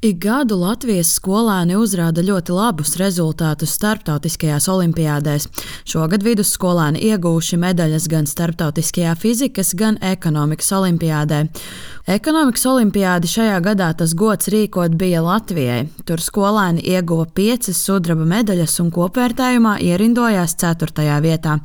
Ik gadu Latvijas skolēni uzrāda ļoti labus rezultātus starptautiskajās olimpiādēs. Šogad vidusskolēni ieguvuši medaļas gan starptautiskajā fizikas, gan ekonomikas olimpiādē. Ekonomikas olimpiādi šajā gadā tas gods rīkot bija Latvijai. Tur skolēni ieguva 5 sudraba medaļas un kopvērtējumā ierindojās 4. vietā.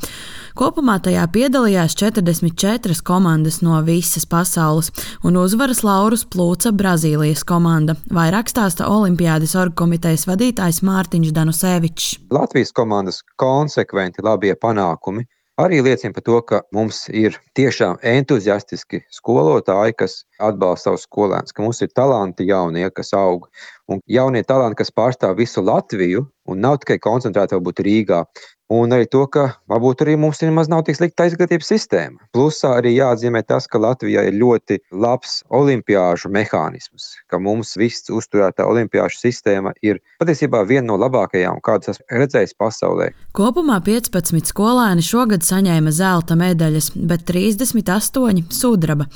Kopumā tajā piedalījās 44 komandas no visas pasaules, un uzvaras laurus plūca Brazīlijas komanda. Vairāk stāsta Olimpiādes orgkomitejas vadītājs Mārtiņš Danusevičs. Latvijas komandas konsekventi labie panākumi arī liecina par to, ka mums ir tiešām entuziastiski skolotāji, kas atbalsta savus skolēnus, ka mums ir talanti jaunie, kas aug, un jaunie talanti, kas pārstāv visu Latviju un nav tikai koncentrēti varbūt Rīgā. Un arī to, ka varbūt arī mums nemaz nav tik slikta izglītības sistēma. Plusā arī jāatzīmē tas, ka Latvijā ir ļoti labs olimpiāžu mehānisms, ka mums viss uzturētā olimpiāžu sistēma ir patiesībā viena no labākajām, kādas esmu redzējis pasaulē. Kopumā 15 skolēni šogad saņēma zelta medaļas, bet 38 sudraba.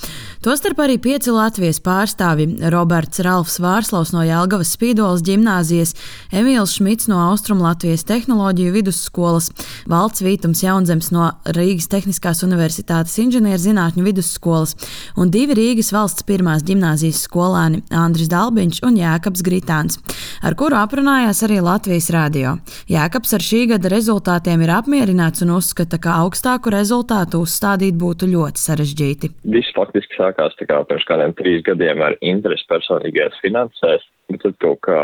Tostarp arī 5 Latvijas pārstāvji – Roberts Ralfs Vārslavs no Jelgavas Spīdoles ģimnāzijas, Emīls Šmits no Austrumlatvijas tehnoloģiju vidusskolas, Valds Vītums Jaunzems no Rīgas Tehniskās universitātes inženierzinātņu vidusskolas un 2 Rīgas valsts pirmās ģimnāzijas skolēni Andris Dalbiņš un Jēkabs Gritāns, ar kuru aprunājās arī Latvijas radio. Jēkabs ar šī gada rezultātiem ir apmierināts un uzskata, ka augstāku rezultātu uzstādīt būtu ļoti sarežģīti. Viss faktiski sākās pirms kādiem 3 gadiem ar interesi personīgajās finansēs. Bet tad kaut kā,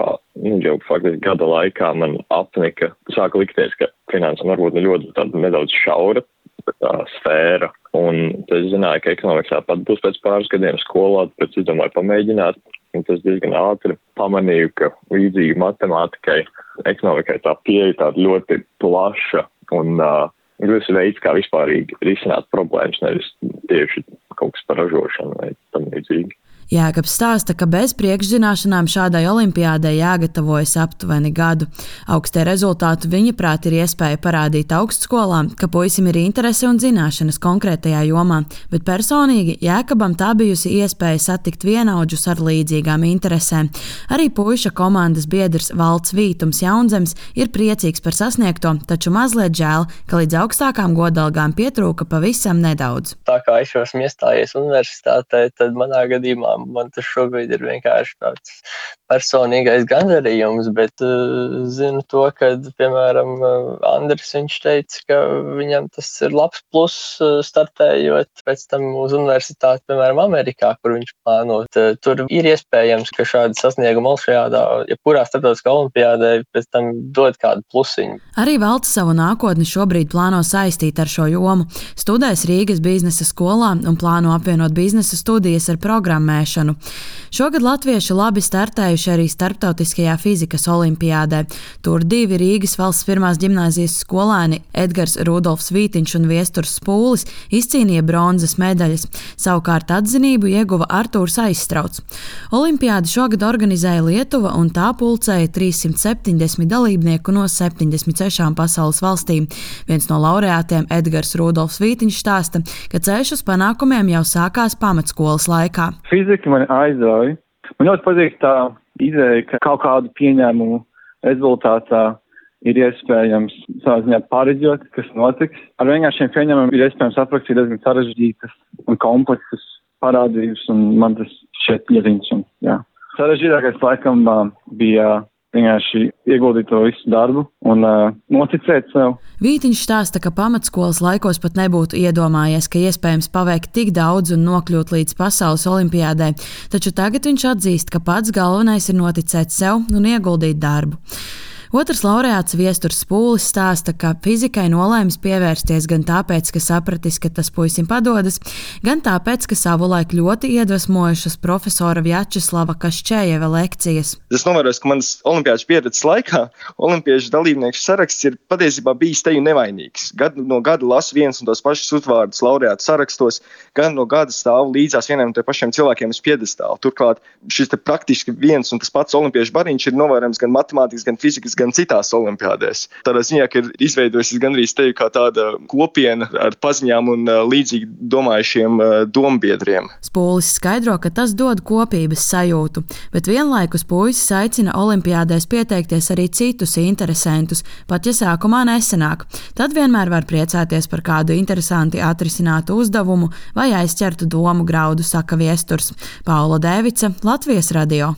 jau faktiski gada laikā man apnika, sāka likties, ka finansam varbūt ļoti nedaudz šaura sfēra. Un es zināju, ka ekonomikā pat būs pēc pāris gadiem skolā, pēc es domāju pamēģināt. Un tas diezgan ātri pamanīju, ka līdzīgi matemātikai, ekonomikai tā pieeja tāda ļoti plaša un ļoti veids, kā vispārīgi risināt problēmas, nevis tieši kaut kas par ražošanu vai tam līdzīgi. Jēkabs stāsta, ka bez priekšzināšanām šādai olimpiādei jāgatavojas aptuveni gadu. Augstie rezultāti viņa prāt ir iespēja parādīt augstskolām, ka puisim ir interese un zināšanas konkrētajā jomā, bet personīgi Jēkabam tā bijusi iespēja satikt vienaudžus ar līdzīgām interesēm. Arī puiša komandas biedrs Valds Vītums Jaunzems ir priecīgs par sasniegto, taču mazliet žēl, ka līdz augstākām godalgām pietrūka pavisam nedaudz. Tā kā es esmu iestājies universitātē, tad manā gadījumā man tas šobrīd ir vienkārši tāds personīgais gandarījums, bet zinu to, ka, piemēram, Andris viņš teica, ka viņam tas ir labs pluss startējot pēc tam uz universitāti, piemēram, Amerikā, kur viņš plānot. Tur ir iespējams, ka šādi sasniegumi Olšajādā, jebkurā starptautiskā olimpiādē pēc tam dod kādu plusiņu. Arī Valds savu nākotni šobrīd plāno saistīt ar šo jomu. Studēs Rīgas biznesa skolā un plāno apvienot biznesa studijas ar programmēšanu. Šogad latvieši labi startējuši arī starptautiskajā fizikas olimpiādē. Tur 2 Rīgas valsts pirmās ģimnāzijas skolēni Edgars Rudolfs Vītiņš un Viesturs Spūlis izcīnīja bronzas medaļas. Savukārt atzinību ieguva Artūrs Aizstrauts. Olimpiādi šogad organizēja Lietuva un tā pulcēja 370 dalībnieku no 76 pasaules valstīm. Viens no laureātiem Edgars Rudolfs Vītiņš stāsta, ka ceļš uz panākumiem jau sākās pamatskolas laikā. Fizika man aizrauja. Man ļoti patīk tā ideja, ka kaut kādu pieņēmumu rezultātā ir iespējams savā ziņā pareģot, kas notiks. Ar vienkāršiem pieņēmumiem ir iespējams aprakstīt diezgan sarežģītas un kompleksas parādības, un man tas šķiet ieziņš. Sarežģītākais laikam bija vienkārši ieguldīt to visu darbu un noticēt sev. Vītiņš stāsta, ka pamatskolas laikos pat nebūtu iedomājies, ka iespējams paveikt tik daudz un nokļūt līdz pasaules olimpiādē, taču tagad viņš atzīst, ka pats galvenais ir noticēt sev un ieguldīt darbu. Otrs laureāts Viesturs Spūlis stāsta, ka fizikai nolēmis pievērsties gan tāpēc, ka sapratis, ka tas puisim padodas, gan tāpēc, ka savulaik ļoti iedvesmojušas profesora Vjačeslava Kaščējeva lekcijas. Es novēroju, ka manas olimpiāžu pieredzes laikā olimpiešu dalībnieku saraksts ir patiesībā bijis teju nevainīgs. Gadu no gada lasu viens un tos pašus uzvārdus laureātu sarakstos, gan no gada stāvu līdzās vieniem un tie pašiem cilvēkiem uz piedestāla. Turklāt šis te praktiski viens un tas pats olimpiešu bariņš ir novērojams gan matemātikas, gan fizikas, gan citās olimpiādēs. Tādā ziņā, ka ir izveidojusies gandrīz teju kā tāda kopiena ar paziņām un līdzīgi domājušiem dombiedriem. Spūlis skaidro, ka tas dod kopības sajūtu, bet vienlaikus puisis aicina olimpiādēs pieteikties arī citus interesantus, pat ja sākumā nesanāk. Tad vienmēr var priecāties par kādu interesanti atrisinātu uzdevumu vai aizķertu domu graudu, saka viesturs. Paula Dēvica, Latvijas radio.